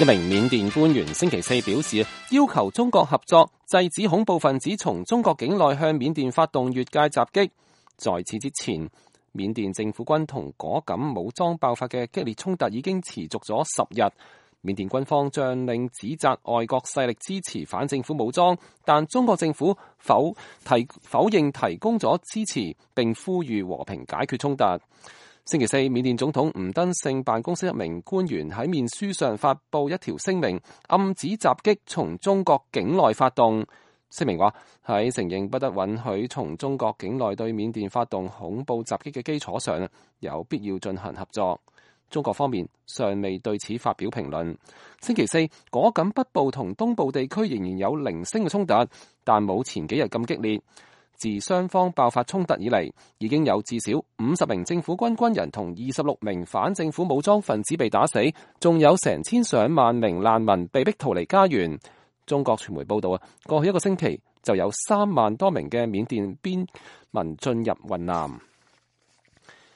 一名緬甸官員星期四表示，要求中國合作，制止恐怖分子從中國境內向緬甸發動越界襲擊。在此之前，緬甸政府軍同果敢武裝爆發嘅激烈衝突已經持續咗10日。緬甸軍方將領指責外國勢力支持反政府武裝，但中國政府否認提供咗支持，並呼籲和平解決衝突。星期四，緬甸總統吳登盛辦公室一名官員喺面書上發布一條聲明，暗指襲擊從中國境內發動。聲明話喺承認不得允許從中國境內對緬甸發動恐怖襲擊嘅基礎上，有必要進行合作。中國方面尚未對此發表評論。星期四，果敢北部同東部地區仍然有零星嘅衝突，但冇前幾日咁激烈。自雙方爆發衝突以嚟，已經有至少50名政府軍軍人同26名反政府武裝分子被打死，仲有成千上萬名難民被逼逃離家園。中國傳媒報道過去一個星期就有3萬多名嘅緬甸邊民進入雲南。